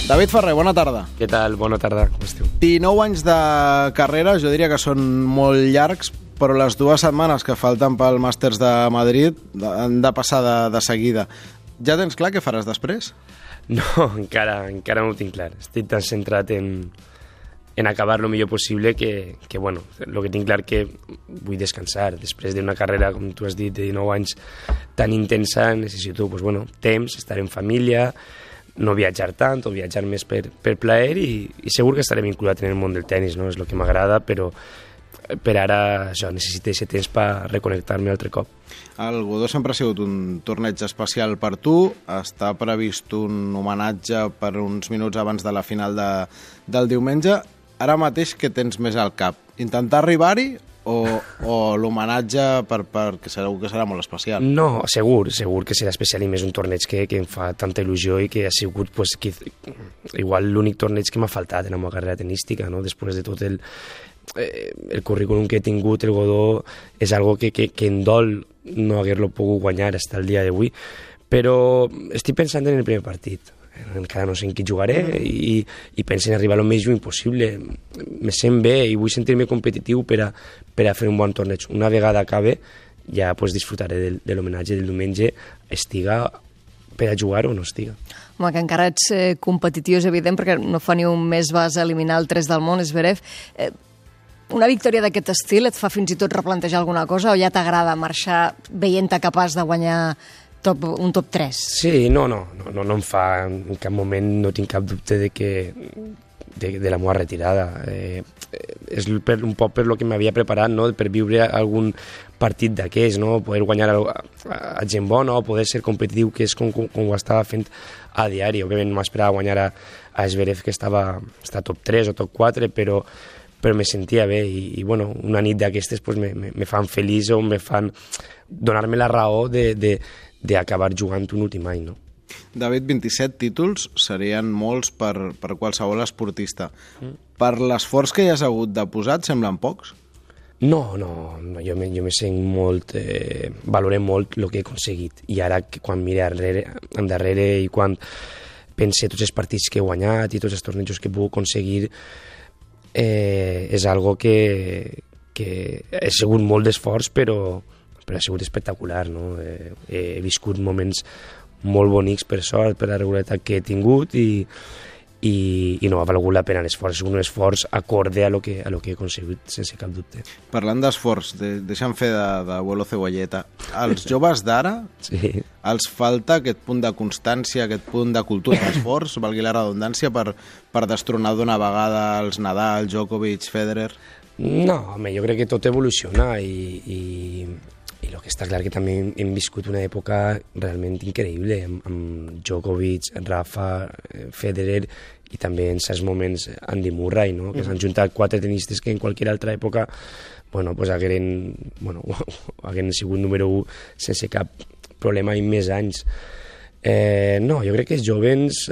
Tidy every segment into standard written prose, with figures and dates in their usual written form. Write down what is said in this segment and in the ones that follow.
David Ferrer, bona tarda. Què tal? Bona tarda, com esteu? 19 anys de carrera, jo diria que són molt llargs, però les 2 setmanes que falten pel Màsters de Madrid han de passar de seguida. Ja tens clar què faràs després? No, encara no ho tinc clar. Estic tan centrat en acabar lo millor possible que bueno, el que tinc clar que vull descansar. Després d'una carrera, com tu has dit, de 19 anys tan intensa, necessito temps, estar en família, no viatjar tant o viatjar més per plaer i segur que estaré vinculat en el món del tenis, no? És el que m'agrada, però per ara això, necessito aquest temps per reconnectar-me altre cop. El Godó sempre ha sigut un torneig especial per tu. Està previst un homenatge per uns minuts abans de la final del diumenge. Ara mateix què tens més al cap? Intentar arribar-hi o l'homenatge perquè segur que serà molt especial? No, segur que serà especial i més un torneig que em fa tanta il·lusió i que ha sigut igual l'únic torneig que m'ha faltat en la meva carrera tenística, no? Després de tot el currículum que he tingut, el Godó és algo que em dol no haver-lo pogut guanyar fins al dia d'avui, però estic pensant en el primer partit. Encara no sé en qui jugaré i penso en arribar el més lluny possible. Me sent bé i vull sentir-me competitiu per a fer un bon torneig. Una vegada acabe ja disfrutaré de l'homenatge del diumenge, estiga per a jugar o no estiga. Home, que encara ets competitiu, és evident, perquè no fa ni un mes vas eliminar el 3 del món, Zverev. Una victòria d'aquest estil et fa fins i tot replantejar alguna cosa o ja t'agrada marxar veient-te capaç de guanyar un top 3? Sí, no em fa, en cap moment no tinc cap dubte de la meva retirada. És un poc per lo que m'havia preparat, no? Per viure algun partit d'aquells, no? Poder guanyar a gent bona o poder ser competitiu, que és com ho estava fent a diari. Òbviament no m'esperava guanyar a Zverev, que està top 3 o top 4, però me sentia bé i bueno, una nit d'aquestes me fan feliç o me fan donar-me la raó d'acabar jugant un últim any, no? David, 27 títols serien molts per qualsevol esportista. Per l'esforç que hi has hagut de posar, et semblen pocs? No, jo me sent molt... valorem molt el que he aconseguit. I ara, quan mire endarrere i quan pense tots els partits que he guanyat i tots els tornejos que he pogut aconseguir, és algo que he sigut molt d'esforç, però ha sigut espectacular, no? He viscut moments molt bonics per sort, per la regularitat que he tingut i no ha valgut la pena l'esforç. És un esforç acorde a lo que he aconseguit, sense cap dubte. Parlant d'esforç, deixa'm fer d'abuelo cebolleta. Als joves d'ara els falta aquest punt de constància, aquest punt de cultura d'esforç, valgui la redundància, per destronar d'una vegada els Nadal, Djokovic, Federer? No, home, jo crec que tot evoluciona i el que està clar que també hem viscut una època realment increïble amb Djokovic, Rafa, Federer i també en certs moments Andy Murray, no? Que s'han juntat 4 tenistes que en qualsevol altra època hagueren sigut número 1 sense cap problema i més anys. No, jo crec que els jóvens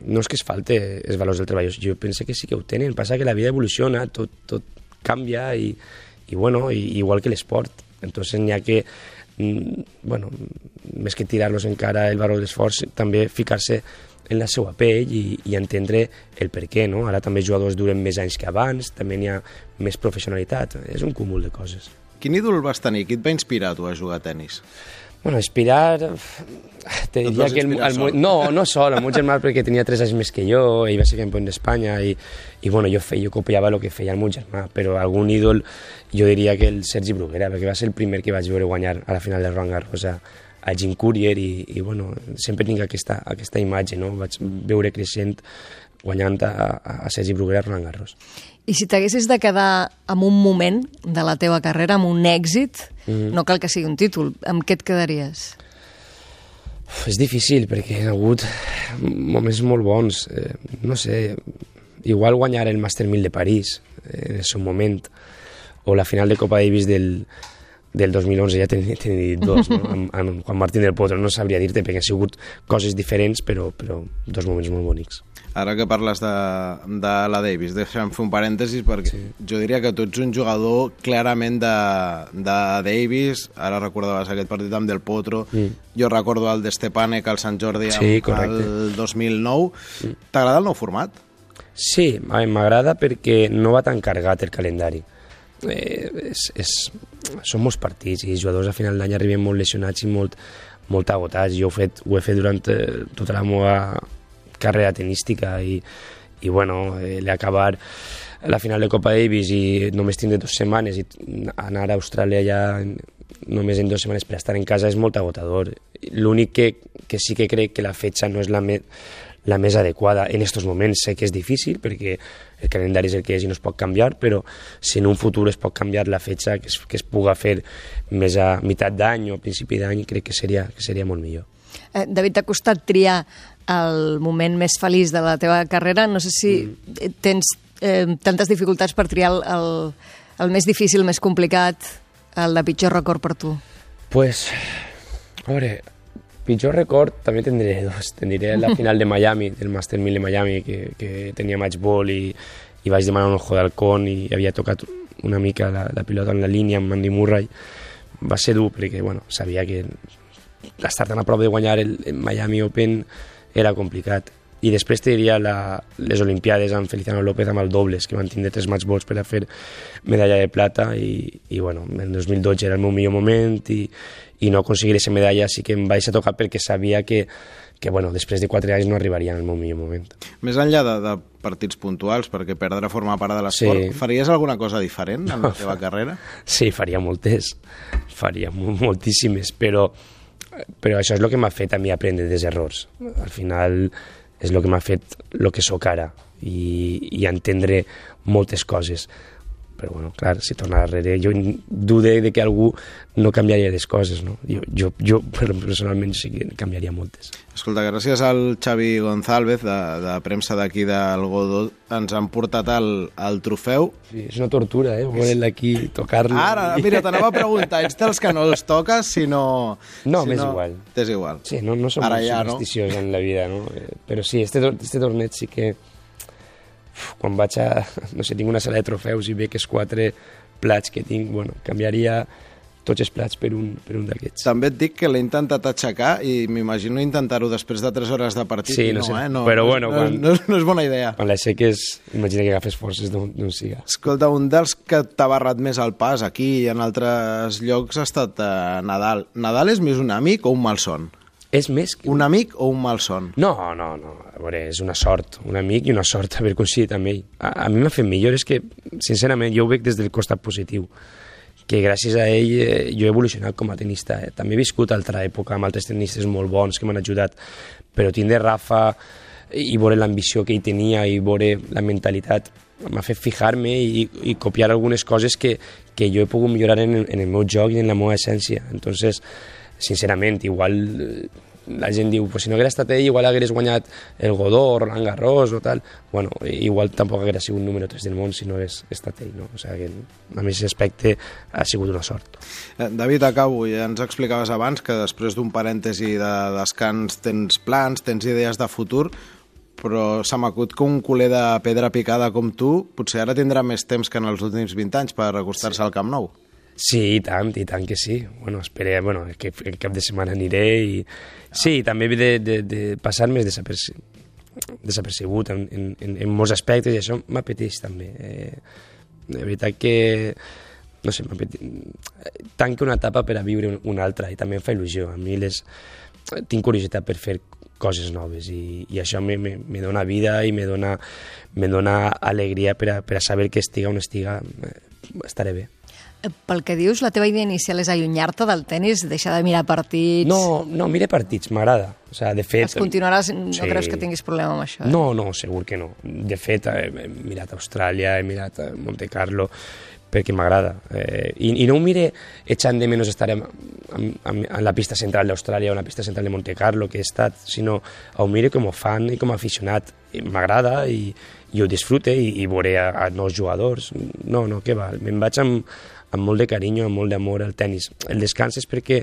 no és que es falte els valors del treball, jo penso que sí que ho tenen, passa que la vida evoluciona, tot canvia i igual que l'esport. Entonces n'hi ha que, més que tirar-los encara el valor d'esforç, també ficar-se en la seva pell i entendre el per què, no? Ara també els jugadors duren més anys que abans, també n'hi ha més professionalitat, és un cúmul de coses. Quin ídol vas tenir? Qui et va inspirar tu a jugar a tenis? Bueno, inspirar... Te diria que no sol, el meu germà perquè tenia 3 anys més que jo, ell va ser campió d'Espanya i jo copiava el que feia el meu germà, però algun ídol jo diria que el Sergi Bruguera, perquè va ser el primer que vaig veure guanyar a la final de Roland Garros a Jim Courier i sempre tinc aquesta imatge, no? Vaig veure creixent guanyant a Sergi Bruguera a Roland Garros. I si t'haguessis de quedar amb un moment de la teva carrera, amb un èxit, no cal que sigui un títol, amb què et quedaries? És difícil, perquè hi ha hagut moments molt bons. No sé, igual guanyar el Master 1000 de París en el seu moment, o la final de Copa Davis del 2011, ja t'he dit 2, no? amb Juan Martín del Potro, no sabria dir-te, perquè han sigut coses diferents, però 2 moments molt bonics. Ara que parles de la Davis, deixa'm fer un parèntesis perquè jo diria que tu ets un jugador clarament de Davis. Ara recordaves aquest partit amb Del Potro, jo recordo el d'Estepanek al Sant Jordi el 2009. T'agrada el nou format? Sí, m'agrada perquè no va tan cargat el calendari. Són molts partits i els jugadors a final d'any arriben molt lesionats i molt agotats. Jo ho he fet durant tota la meva carrera tenística i bueno, l'acabar la final de Copa Davis i només tindre 2 setmanes i anar a Austràlia ja només en 2 setmanes per estar en casa és molt agotador. L'únic que sí que crec que la fetge no és la més adequada en aquests moments. Sé que és difícil perquè el calendari és el que és i no es pot canviar, però si en un futur es pot canviar la fetge, que es puga fer més a meitat d'any o a principi d'any, crec que seria molt millor. David, t'ha costat triar el moment més feliç de la teva carrera. No sé si tens tantes dificultats per triar el més difícil, més complicat, el de pitjor record per tu. Pues, a veure, pitjor record també tindré 2. Tindré la final de Miami, del Master 1000 de Miami, que tenia match ball i vaig demanar un ojo d'halcón i havia tocat una mica la pilota en la línia amb Andy Murray. Va ser dur perquè, bueno, sabia que estar tan a prop de guanyar el Miami Open era complicat. I després te diria les Olimpiades amb Feliciano López amb el dobles, que van tindre 3 match balls per a fer medalla de plata i bueno, el 2012 era el meu millor moment i no aconseguir aquesta medalla sí que em vaig a tocar perquè sabia que bueno, després de 4 anys no arribaria en el meu millor moment. Més enllà de partits puntuals, perquè perdre forma part de l'esport, faries alguna cosa diferent en la teva carrera? Sí, faria moltes, faria moltíssimes, però això és el que m'ha fet a mi aprendre dels errors. Al final és el que m'ha fet el que sóc ara i entendre moltes coses. Però, bueno, clar, si tornar darrere, jo dude de que algú no canviaria les coses, no? Jo personalment sí que canviaria moltes. Escolta, gràcies al Xavi González, de premsa d'aquí del Godó, ens han portat el trofeu. Sí, és una tortura, voler-la aquí, tocar-lo. Ara, mira, t'anava a preguntar, ets dels que no els toques, si no... No, m'és igual. T'és igual. Sí, no som molt supersticiosos en la vida, no? Però sí, este torneig sí que... Quan vaig a... no sé, tinc una sala de trofeus i veig els 4 plats que tinc, bueno, canviaria tots els plats per un d'aquests. També et dic que l'he intentat aixecar i m'imagino intentar-ho després de 3 hores de partit. Sí, no sé, no, però bueno... No és bona idea. Quan l'aixeques, imagina que agafes forces d'un siga. Escolta, un dels que t'ha barrat més el pas aquí i en altres llocs ha estat Nadal. Nadal és més un amic o un malson? És més que... Un amic o un malson? No. A veure, és una sort. Un amic i una sort haver coincidit amb ell. A mi m'ha fet millor. És que, sincerament, jo ho veig des del costat positiu. Que gràcies a ell jo he evolucionat com a tenista. També he viscut altra època amb altres tenistes molt bons que m'han ajudat. Però tindre Rafa i veure l'ambició que ell tenia i veure la mentalitat m'ha fet fijar-me i copiar algunes coses que jo he pogut millorar en el meu joc i en la meva essència. Entonces, sincerament, igual la gent diu, pues si no hagués estat ell, igual hagués guanyat el Godó, Roland Garros o tal. Bueno, igual tampoc hagués sigut número 3 del món si no hagués estat ell, no? O sigui, que a mi aquest aspecte ha sigut una sort. David, acabo. Ja ens explicaves abans que després d'un parèntesi de descans tens plans, tens idees de futur, però se m'acut que un culer de pedra picada com tu potser ara tindrà més temps que en els últims 20 anys per acostar-se al Camp Nou. Sí, i tant que sí. Bueno, espero, que el cap de setmana aniré i... Sí, també he de passar més desapercebut en molts aspectes i això m'apeteix també. De veritat que, no sé, tanco una etapa per a viure una altra i també em fa il·lusió. A mi tinc curiositat per fer coses noves i això me dona vida i me dona alegria per a saber que estiga on estiga, estaré bé. Pel que dius, la teva idea inicial és allunyar-te del tennis, deixar de mirar partits... No, mire partits, m'agrada. O sigui, de fet... Els continuaràs, no creus que tinguis problema amb això? No, segur que no. De fet, he mirat Austràlia, he mirat Monte Carlo, perquè m'agrada. I no ho mire echant de menys estar en la pista central d'Austràlia o en la pista central de Monte Carlo, que he estat, sinó ho mire com a fan i com a aficionat. M'agrada i ho disfrute i veuré a nous jugadors. No, què va, me'n vaig amb molt de carinyo, amb molt d'amor al tennis. El descans és perquè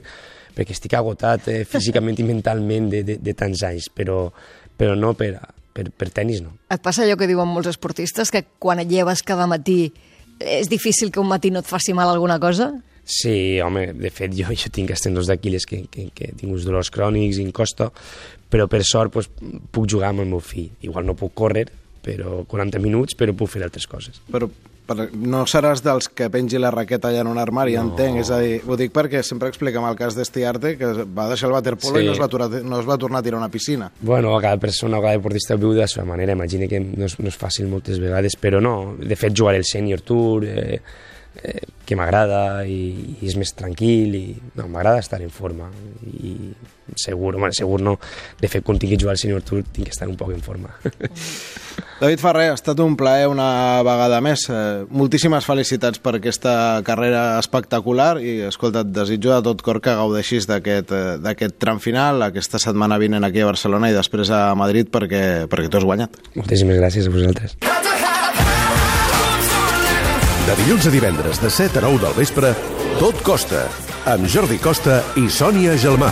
estic agotat físicament i mentalment de tants anys, però no per per tenis no. Et passa allò que diuen molts esportistes, que quan et lleves cada matí és difícil que un matí no et faci mal alguna cosa? Sí, home, de fet jo tinc els tendons d'Aquiles que tinc uns dolors crònics i em costa, però per sort pues, puc jugar amb el meu fill. Igual no puc córrer, però 40 minuts, però puc fer altres coses. Però no seràs dels que pengi la raqueta allà en un armari, no. Entenc, és a dir, ho dic perquè sempre expliquem el cas d'Estiarte, que va deixar el waterpolo i no es va tornar a tirar a una piscina. Bueno, cada persona, cada deportista viu de la seva manera, imagina que no és fàcil moltes vegades, però no, de fet jugar el Senior Tour, que m'agrada i és més tranquil i no, m'agrada estar en forma i segur no, de fet quan tingui jugar al Senior Tour tinc que estar un poc en forma. David Ferrer, ha estat un plaer una vegada més. Moltíssimes felicitats per aquesta carrera espectacular i, escolta, et desitjo de tot cor que gaudeixis d'aquest tram final, aquesta setmana vinent aquí a Barcelona i després a Madrid perquè tu has guanyat. Moltíssimes gràcies a vosaltres. De dilluns a divendres de 7 a 9 del vespre, Tot Costa, amb Jordi Costa i Sònia Gelmà.